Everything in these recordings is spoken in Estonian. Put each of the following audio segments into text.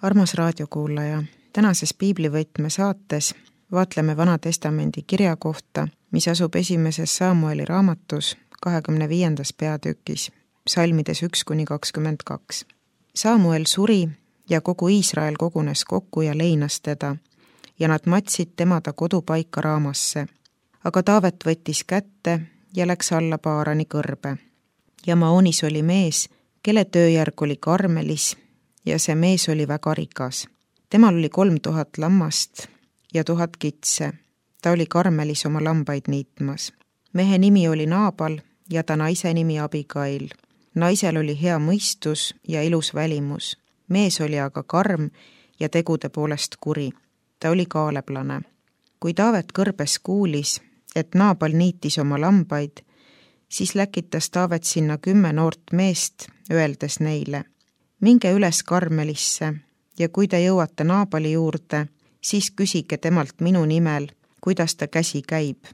Armas raadiokuulaja, tänases piiblivõtme saates vaatleme Vana Testamendi kirja kohta, mis asub esimeses Samueli raamatus 25. peatükis, psalmides 1-22. Samuel suri ja kogu Iisrael kogunes kokku ja leinas teda ja nad matsid tema ta kodupaika Raamasse. Aga Taavet võttis kätte ja läks alla Paarani kõrbe. Ja Maonis oli mees, kelle tööjärg oli Karmelis, ja see mees oli väga rikas. Temal oli 3000 lammast ja 1000 kitse. Ta oli Karmelis oma lambaid niitmas. Mehe nimi oli Naabal ja ta naise nimi Abigail. Naisel oli hea mõistus ja ilus välimus. Mees oli aga karm ja tegude poolest kuri. Ta oli kaaleplane. Kui Taavet kõrbes kuulis, et Naabal niitis oma lambaid, siis läkitas Taavet sinna 10 noort meest, öeldes neile: minge üles Karmelisse ja kui te jõuate Naabali juurde, siis küsige temalt minu nimel, kuidas ta käsi käib.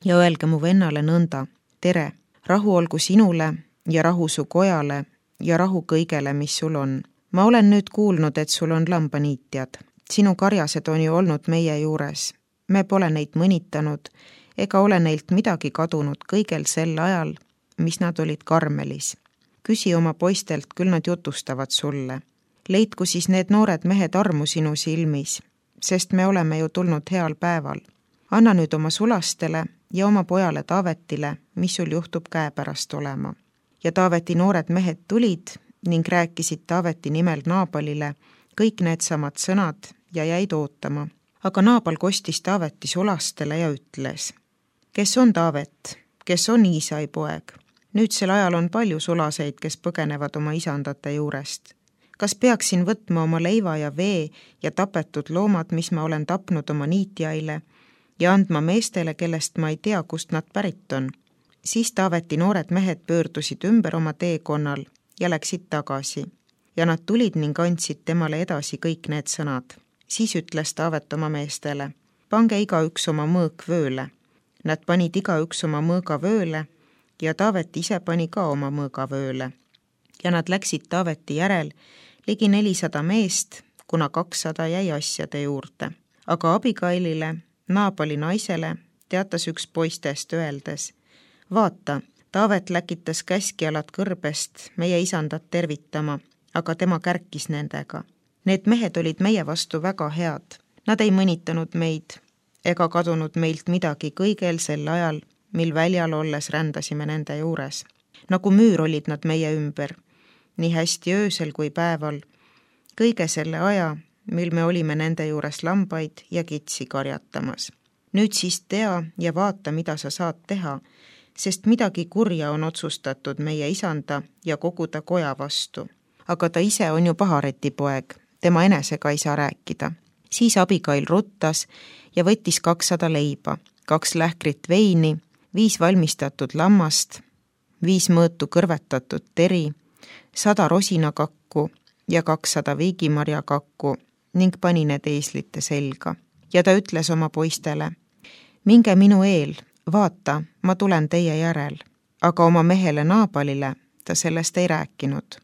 Ja öelge mu vennale nõnda: tere, rahu olgu sinule ja rahu su kojale ja rahu kõigele, mis sul on. Ma olen nüüd kuulnud, et sul on lambaniitjad. Sinu karjased on ju olnud meie juures. Me pole neid mõnitanud ega ole neilt midagi kadunud kõigel sel ajal, mis nad olid Karmelis. Küsi oma poistelt, küll nad jutustavad sulle. Leidku siis need noored mehed armu sinu silmis, sest me oleme ju tulnud heal päeval. Anna nüüd oma sulastele ja oma pojale Taavetile, mis sul juhtub käepärast olema. Ja Taaveti noored mehed tulid ning rääkisid Taaveti nimel Naabalile kõik need samad sõnad ja jäid ootama. Aga Naabal kostis Taaveti sulastele ja ütles: kes on Taavet, kes on Iisai poeg? Nüüdsel ajal on palju sulaseid, kes põgenevad oma isandate juurest. Kas peaksin võtma oma leiva ja vee ja tapetud loomad, mis ma olen tapnud oma niitjaile, ja andma meestele, kellest ma ei tea, kust nad pärit on? Siis Taaveti noored mehed pöördusid ümber oma teekonnal ja läksid tagasi. Ja nad tulid ning andsid temale edasi kõik need sõnad. Siis ütles Taavet oma meestele: pange igaüks oma mõõk vööle. Nad panid igaüks oma mõõga vööle ja Taavet ise pani ka oma mõõga vööle. Ja nad läksid Taaveti järel ligi 400 meest, kuna 200 jäi asjade juurde. Aga Abigailile, Naabali naisele, teatas üks poistest öeldes: vaata, Taavet läkitas käskjalad kõrbest meie isandat tervitama, aga tema kärkis nendega. Need mehed olid meie vastu väga head. Nad ei mõnitanud meid ega kadunud meilt midagi kõigel sel ajal, mil väljal olles rändasime nende juures. Nagu müür olid nad meie ümber, nii hästi öösel kui päeval, kõige selle aja, mil me olime nende juures lambaid ja kitsi karjatamas. Nüüd siis tea ja vaata, mida sa saad teha, sest midagi kurja on otsustatud meie isanda ja kogu ta koja vastu. Aga ta ise on ju pahareti poeg, tema enesega ei saa rääkida. Siis Abigail ruttas ja võttis 200 leiba, 2 lähkrit veini, 5 valmistatud lammast, 5 mõõtu kõrvetatud teri, 100 rosinakakku ja 200 viigimarjakakku ning pani need eeslite selga. Ja ta ütles oma poistele: minge minu eel, vaata, ma tulen teie järel. Aga oma mehele Naabalile ta sellest ei rääkinud.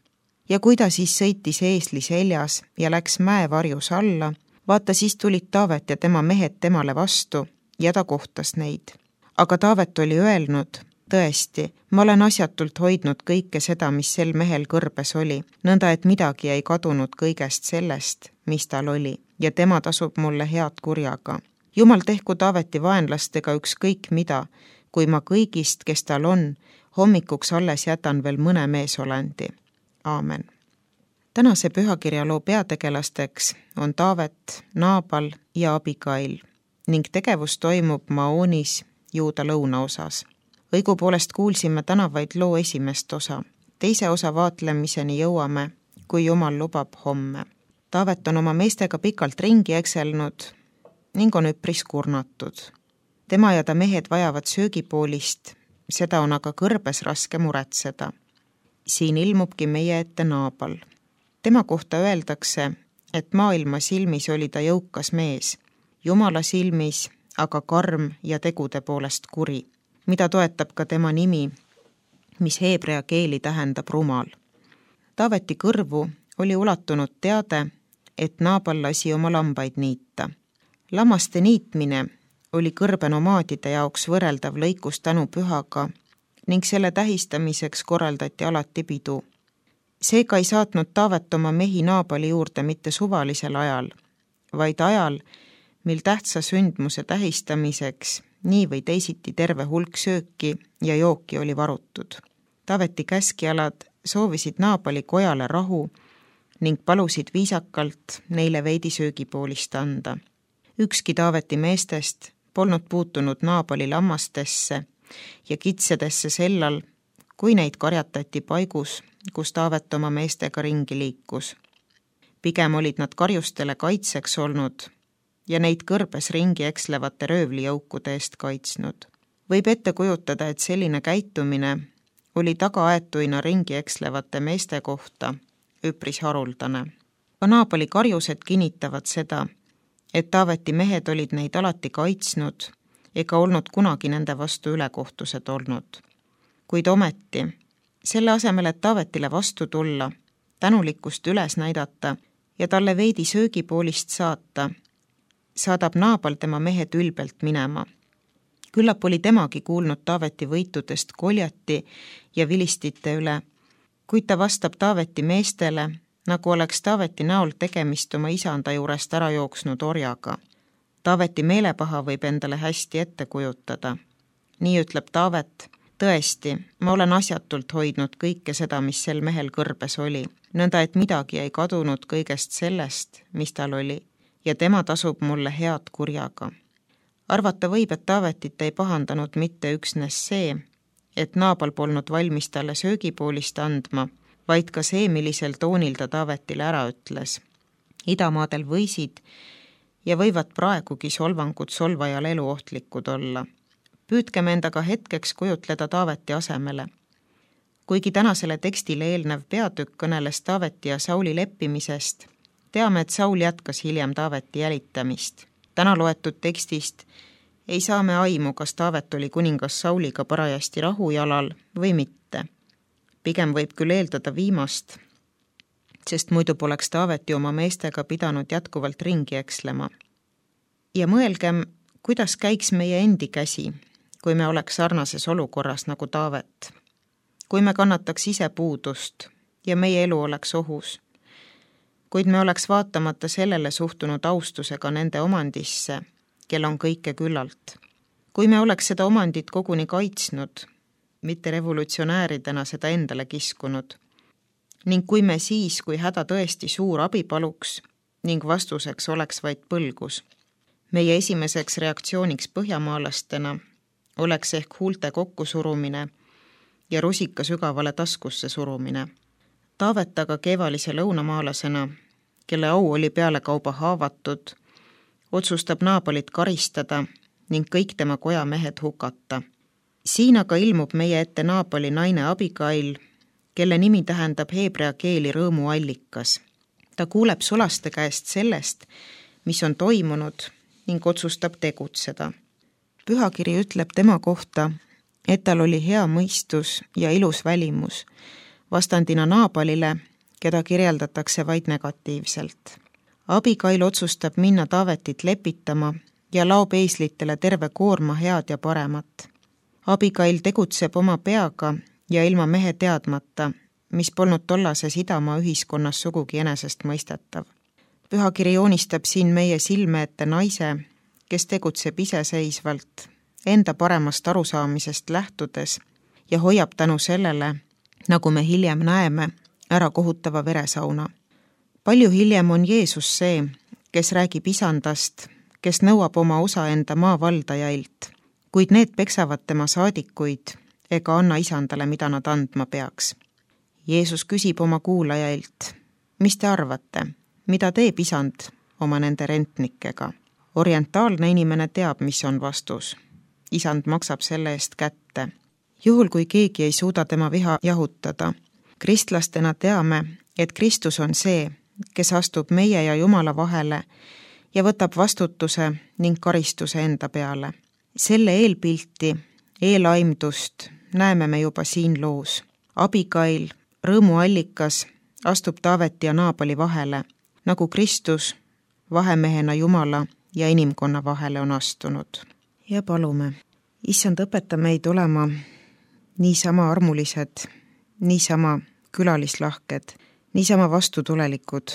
Ja kui ta siis sõitis eesli seljas ja läks mäevarjus alla, vaata, siis tulid Taavet ja tema mehed temale vastu ja ta kohtas neid. Aga Taavet oli öelnud: tõesti, ma olen asjatult hoidnud kõike seda, mis sel mehel kõrbes oli, nõnda et midagi ei kadunud kõigest sellest, mis tal oli, ja tema tasub mulle head kurjaga. Jumal tehku Taaveti vaenlastega ükskõik mida, kui ma kõigist, kes tal on, hommikuks alles jätan veel mõne meesolandi. Aamen. Tänase pühakirjaloo peategelasteks on Taavet, Naabal ja Abigail ning tegevus toimub Maonis, Juuda lõunaosas. Õigupoolest kuulsime täna vaid loo esimest osa. Teise osa vaatlemiseni jõuame, kui Jumal lubab, homme. Taavet on oma meestega pikalt ringi ekselnud ning on üpris kurnatud. Tema ja ta mehed vajavad söögipoolist, seda on aga kõrbes raske muretseda. Siin ilmubki meie ette Naabal. Tema kohta öeldakse, et maailma silmis oli ta jõukas mees, Jumala silmis aga karm ja tegude poolest kuri, mida toetab ka tema nimi, mis heebrea keeli tähendab rumal. Taaveti kõrvu oli ulatunud teade, et Naabal lasi oma lambaid niita. Lammaste niitmine oli kõrbenomaadide jaoks võrreldav lõikustänupühaga ning selle tähistamiseks korraldati alati pidu. Seega ei saatnud Taavet oma mehi Naabali juurde mitte suvalisel ajal, vaid ajal, mil tähtsa sündmuse tähistamiseks nii või teisiti terve hulk sööki ja jooki oli varutud. Taaveti käskijalad soovisid Naabali kojale rahu ning palusid viisakalt neile veidi söögipoolist anda. Ükski Taaveti meestest polnud puutunud Naabali lammastesse ja kitsedesse sellal, kui neid karjatati paigus, kus Taavet oma meestega ringi liikus. Pigem olid nad karjustele kaitseks olnud ja neid kõrbes ringi ekslevate röövlijõukude eest kaitsnud. Võib ette kujutada, et selline käitumine oli tagaaetuina ringi ekslevate meeste kohta üpris haruldane. Ka Naabali karjused kinnitavad seda, et Taaveti mehed olid neid alati kaitsnud ega olnud kunagi nende vastu ülekohtused olnud. Kuid ometi, selle asemel, et Taavetile vastu tulla, tänulikkust üles näidata ja talle veidi söögipoolist saata, saadab Naabal tema mehed ülbelt minema. Küllap oli temagi kuulnud Taaveti võitudest Goljati ja vilistite üle, kuid ta vastab Taaveti meestele, nagu oleks Taaveti näol tegemist oma isanda juurest ära jooksnud orjaga. Taaveti meelepaha võib endale hästi ette kujutada. Nii ütleb Taavet: tõesti, ma olen asjatult hoidnud kõike seda, mis sel mehel kõrbes oli, nõnda et midagi ei kadunud kõigest sellest, mis tal oli, ja tema tasub mulle head kurjaga. Arvata võib, et Taavetit ei pahandanud mitte üksnes see, et Naabal polnud valmis talle söögipoolist andma, vaid ka see, millisel toonil ta Taavetile ära ütles. Idamaadel võisid ja võivad praegugi solvangud solvajal eluohtlikud olla. Püüdkem endaga hetkeks kujutleda Taaveti asemele. Kuigi tänasele tekstile eelnev peatükk kõneles Taaveti ja Sauli leppimisest, teame, et Saul jätkas hiljem Taaveti jälitamist. Täna loetud tekstist ei saa me aimu, kas Taavet oli kuningas Sauliga parajasti rahujalal või mitte. Pigem võib küll eeldada viimast, sest muidu poleks Taavet ju oma meestega pidanud jätkuvalt ringi ekslema. Ja mõelgem, kuidas käiks meie endi käsi, kui me oleks sarnases olukorras nagu Taavet. Kui me kannataks ise puudust ja meie elu oleks ohus, kuid me oleks vaatamata sellele suhtunud austusega nende omandisse, kel on kõike küllalt. Kui me oleks seda omandit koguni kaitsnud, mitte revolutsionääridena seda endale kiskunud, ning kui me siis, kui häda tõesti suur abi paluks ning vastuseks oleks vaid põlgus, meie esimeseks reaktsiooniks põhjamaalastena oleks ehk huulte kokkusurumine ja rusika sügavale taskusse surumine. Taavet aga keevalise lõunamaalasena, kelle au oli pealekauba haavatud, otsustab Naabalit karistada ning kõik tema koja mehed hukata. Siin aga ilmub meie ette Naabali naine Abigail, kelle nimi tähendab heebrea keeli rõõmuallikas. Ta kuuleb sulaste käest sellest, mis on toimunud ning otsustab tegutseda. Pühakiri ütleb tema kohta, et tal oli hea mõistus ja ilus välimus, vastandina Naabalile, keda kirjeldatakse vaid negatiivselt. Abigail otsustab minna Taavetit lepitama ja laob eeslitele terve koorma head ja paremat. Abigail tegutseb oma peaga ja ilma mehe teadmata, mis polnud tollases idamaa ühiskonnas sugugi enesest mõistetav. Pühakiri joonistab siin meie silme ette naise, kes tegutseb iseseisvalt, enda paremast arusaamisest lähtudes ja hoiab tänu sellele, nagu me hiljem näeme, ära kohutava veresauna. Palju hiljem on Jeesus see, kes räägib isandast, kes nõuab oma osa enda maavaldajailt, kuid need peksavad tema saadikuid ega anna isandale, mida nad andma peaks. Jeesus küsib oma kuulajailt: mis te arvate, mida teeb isand oma nende rentnikega? Orientaalne inimene teab, mis on vastus. Isand maksab selle eest kätte. Juhul, kui keegi ei suuda tema viha jahutada, kristlastena teame, et Kristus on see, kes astub meie ja Jumala vahele ja võtab vastutuse ning karistuse enda peale. Selle eelpilti, eelaimdust näeme me juba siin loos. Abigail, rõõmuallikas, astub Taaveti ja Naabali vahele, nagu Kristus vahemehena Jumala ja inimkonna vahele on astunud. Ja palume, Issand, õpeta meid olema niisama armulised, niisama külalislahked, niisama vastutulelikud,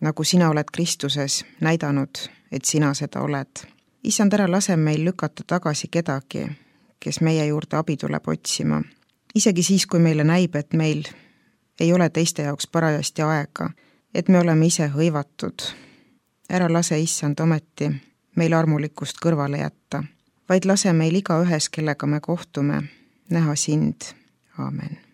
nagu sina oled Kristuses näidanud, et sina seda oled. Issand, ära lase meil lükata tagasi kedagi, kes meie juurde abi tuleb otsima. Isegi siis, kui meile näib, et meil ei ole teiste jaoks parajasti aega, et me oleme ise hõivatud. Ära lase, Issand, ometi meil armulikkust kõrvale jätta, vaid lase meil igaühes, kellega me kohtume, näha sind. Aamen.